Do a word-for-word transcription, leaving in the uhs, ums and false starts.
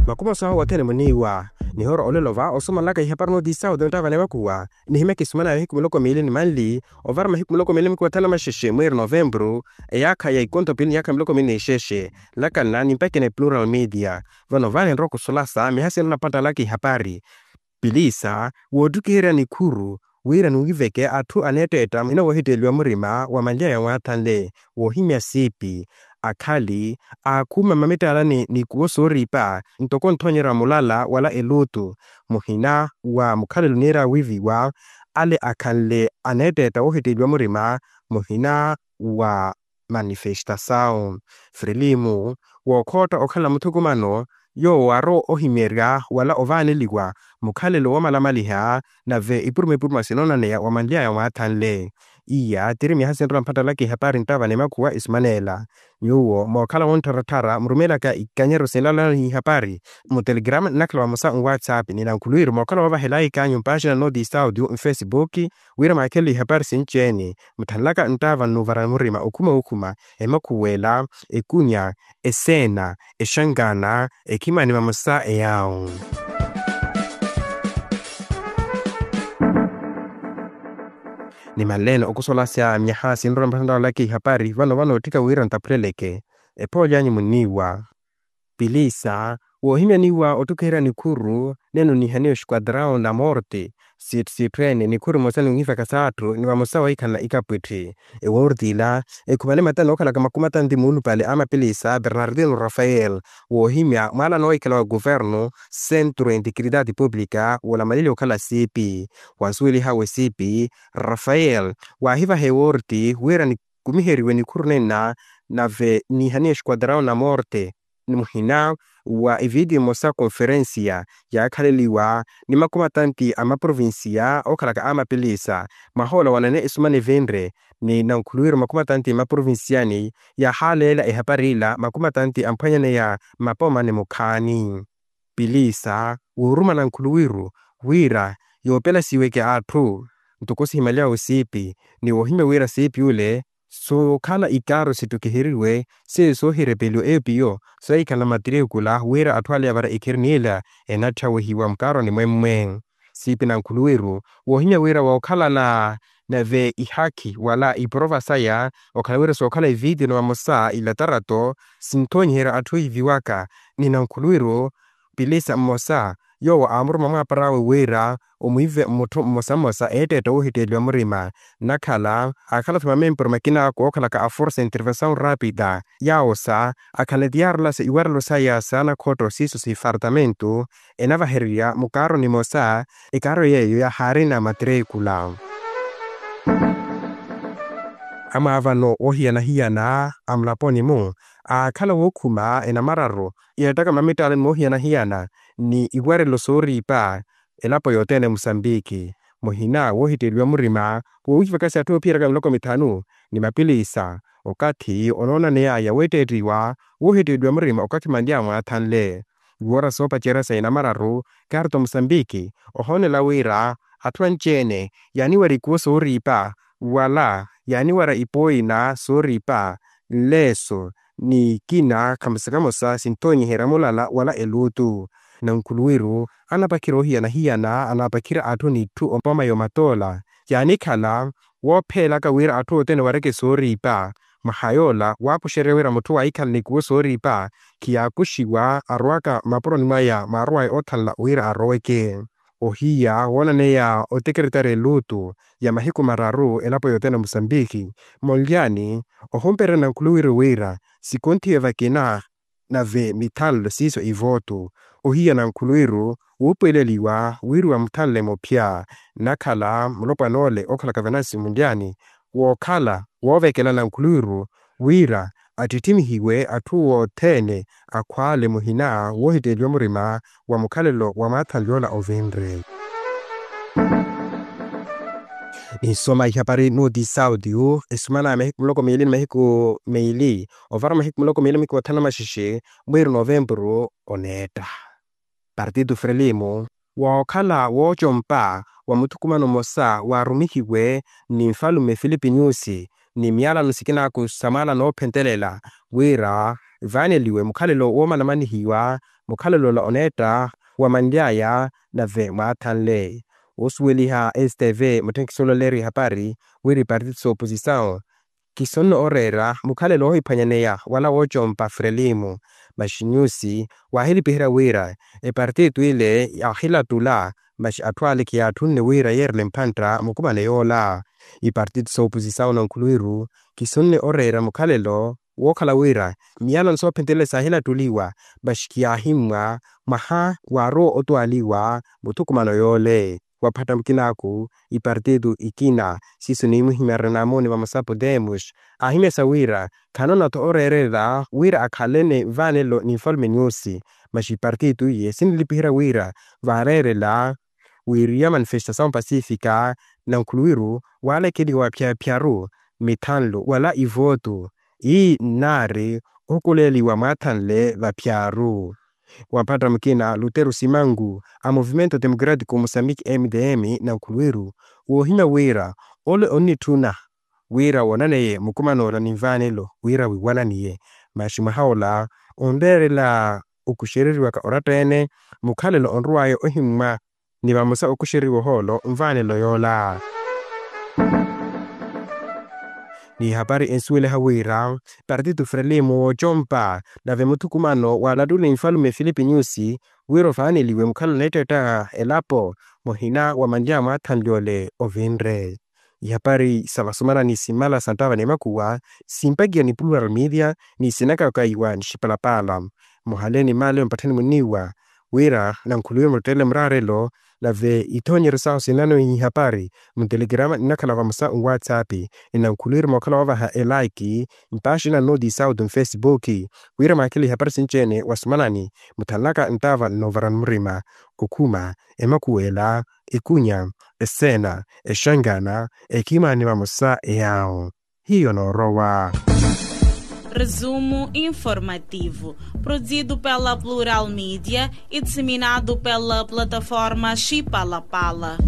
Makumaso ahu othene muniiwa. Nihoora olelo va osumanlaka ihapari notisauti onttava ni makuwa nihimya kisumana ya mahiku miloko miili ni manli ovara mahiku miloko miili ni makuwa thanu na maxexe mwiiri novempuru eyaakha ya ikonto piili ni yaakha miloko miili ni ixexe. Nlakanna nimpakina eplural media vano vaani nrowa kusulasa miha sinrona phattalaka ihapari. Pilisa woottukiherya nikhuru wira niwiveke atthu aneetteetta muhina woohitteeliwa murima wa manlya ya mwaathanle woohimya siipi akhali aakhuma mmamitaalani n'ikuwo sooriipa ntoko nthoonyerya mulala wala eluutu muhina wa mukhalelo niira wiiviwa ale akhanle aneetteetta woohitteeliwa murima muhina wa manifestasawu frilimu wookhootta okhala muthukumano yoowo aarowa ohimyerya wala ovaaneliwa mukhalelo woomalamaliha nave ipuruma ipuruma sinoonaneya wa manlyaya mwaathanle. Iya tiri miyaha sinrola mphattalaka ihapari nttava ni makhuwa isumaneela. Nyuwo mookhala woonttharatthara murumeelaka ikanyeryo sinlalana ihapari mutelegrama nnakhala vamosa nwatsapp ni nankhuluwiru mookhala woovahelayi kanyu mpaaxina nooti saudio nfesibuki wira mwaakhelele ihapari sinci-ene muthanlaka nttaava nnuuvarani murima okhuma okhuma emakhuwela ekunya eseena exankaana ekhimani vamosa eyaawo. Nimanleene okusolasya myaha sinrola mpathantalaka ihapari vano vano otthika wira nttaphuleleke ephoolyanyu muniiwa. Pilisa woohimya niiwa ottukiherya nikhuru nenu nihaniwa esquadrau na morte siitthisiitthweene nikhuru emosa ninwivaka s'atthu ni vamosa wahikhalana ikapwitthi. Eworti ila ekhumane matani okhalaka makumi atanti muulupale a mapilisa bernardino rafael woohimya mwaalano wahikhala wa kuvernu centro integridade publica woolamalily'okhala siipi wansuwelihawe siipi rafael waahivaha eworti wira nikumiheriwe nikhuru nenna nave nihaniwa esquadrau na morte ni muhina wa evidiyo emosa konferensiya yaakhaleliwa ni makumi atanti a maprovinsiya okhalaka a mapilisa. Mwahoola wanene esumana evinre ni nankhuluwiru makumi atanti maprovinsiyani yaahaaleela ehapari ila makumi atanti amphwanyaneya mmapomani mukhaani. Pilisa wooruma nankhuluwiru wira yoopelasiweke atthu ntoko sihimalyawe siipi ni woohimya wira siipi ule sookhala ikaaro sittukiheriwe seiyo soohirepeliwa eyo piyo sohikhala matirikula wira atthu ale yavara ekheri niila enatthyawihiwa mukaaroni mwemmwe. Siipi nankhuluwiru woohimya wira wookhalana nave ihakhi wala iporova saya okhala wira sookhala evitiyo ni vamosa ilatarato sinthoonyiherya atthu ohiviwaka ni nankhuluwiru pilisa mmosa yoowo aamuruma mwaapar'awe wira omwiive mutthu mmosa mmosa eetteetta woohitteeliwa murima nnakhala aakhala-tho mamempuru makina kookhalaka a forsa intervensaw rapida yaawosa akhala ni tiyaarulasa iwarelo saya saanakhotto siiso sifartamentu enavahererya mukaaro nimosa ekaaro yeeyo yahaarina matreekula. Amwaavano woohiyana-hiyana a mulaponi-mu aakhala wookhuma enamararu iyattaka mmamittalani moohiyana-hiyana ni iwarelo sooriipa elapo yothene musambiki muhina woohitteeliwa murima woowivakasi atthu oophiyeraka miloko mithanu ni mapilisa okathi onoonaneyaya weetteettiwa woohitteeliwa murima okathi manly'aya mwaathanle. Iwoora soopacerya sa enamararu karto musambiki ohoonela wira atthu anci-ene yaaniwarya ikuwo sooriipa wala yaaniwarya ipooyina sooriipa nleeso ni ikina kamosa kamosa sinthoonyiherya mulala wala eluutu. Nankhuluwiru anapakhira oohiyana-hiyana anapakhira atthu n'itthu ompooma yomatoola yaanikhala woopheelaka wira atthu othene wareke sooriipa mwaha yoola waakuxerya wira mutthu waahikhala n'ikuwo sooriipa khiyaakuxiwa arowaka mmapuroni mwaya mwaarowaya oothanla wira aroweke. Ohiya woonaneya otekeretari eluutu ya mahiku mararu elapo yothene musambiki monlyani ohumpererya nankhuluwiru wira sikonthiwe vakina nave mithanlo siiso ivootu. Ohiya nankhuluwiru wuupuweleliwa wiriwa muthanle muphya nnakhala mulopwan'ole okhalaka venansi munlyani wookhala woovekela nankhuluwiru wira attittimihiwe atthu othene akhwaale muhina woohitteeliwa murima wa mukhalelo wa mwaathanly'ola ovinre. Ninsoma ihapari nooti saudio esumana ya mahiku muloko miili ni mahiku miili ovara mahiku muloko miili mahiku mathanu na maxexe mwiiri novempuru oneetta. Partido frelimo wookhala woocompa wa muthukumano mmosa waarumihiwe ni nfalume filipi nyusi ni miyalano sikinaaku sa mwaala noophentelela wira vaaneliwe mukhalelo woomanamanihiwa mukhalelo ola oneetta wamanly'aya nave mwaathanle. Woosuweliha stv mutthenkisi olaleeriwa ehapari wira ipartito s'oposisawu kisonne ooreera mukhalelo oohiphwanyaneya wala woocompa frelimu. Masi nyusi waahilipiherya wira epartito ile yaahilattula masi atthu ale khiyaatthunne wira yeerele mphantta mukumane yoola. Ipartito s'oposisawu na nkhuluwiru kisonne oreera mukhalelo wookhala wira miyalano soophentelela saahilattuliwa masi khiyaahimmwa mwaha waarowa otwaaliwa muthukumano yoole. Waphatta mukinaaku ipartito ikina siiso niimuhimyarya namooni vamosa podemos aahimya sa wira khanoona-tho ooreerela wira akhalene nvaanelo ni nfalume nyusi. Masi ipartito iye sinilipiherya wira vaareerela wiiriya manifestasawu pasifika na nkhuluwiru waalekeliwa vaphyapyaru mithanlo wala ivootu ii nnaari ohukuleeliwa mwaathanle vapyaru. Wamphatta mukina lutero simangu a movimento democratico mosambiki mdm na nkhuluwiru woohimya wira ole onnitthuna wira woonaneye mukuman'ola ni nvaanelo wira wiiwananiye. Masi mwaha ola onreerela okuxereriwaka oratta-ene mukhalelo onrow'aya ohimmwa ni vamosa okuxeriwa ohoolo nvaanelo yoola. Ni hapari ensuweliha wira partito frelimo woocompa nave muthukumano waalattuli nfalume filipi nyusi wira ovaaneliwe mukhala oneettetta elapo muhina wa manlya mwaathanly'ole ovinre. Ihapari sa vasumanani simmala sa nttaava n'emakuwa simpakiwa ni plural media ni sinakakaiwa ni xipalapaala. Muhale ni maale mpatthani muniiwa wira nankhuluwe mutteele muraarelo nave ithoonyeryo sahu sinanoihi ihapari muntelekerama nnakhala vamosa nwatsapp. Nnankhuluwiri mookhala woovaha elaiki mpaaxi nannooti sauti nfesipuki wira mwaakele ihapari sinci-ene wasumanani muthanlaka nttaava nnoovarani murima okhuma emakuwela ekunya eseena exangana ekhimani vamosa eyaawo. Hiyo noorowa. Resumo informativo, produzido pela Plural Media e disseminado pela plataforma Chipalapala.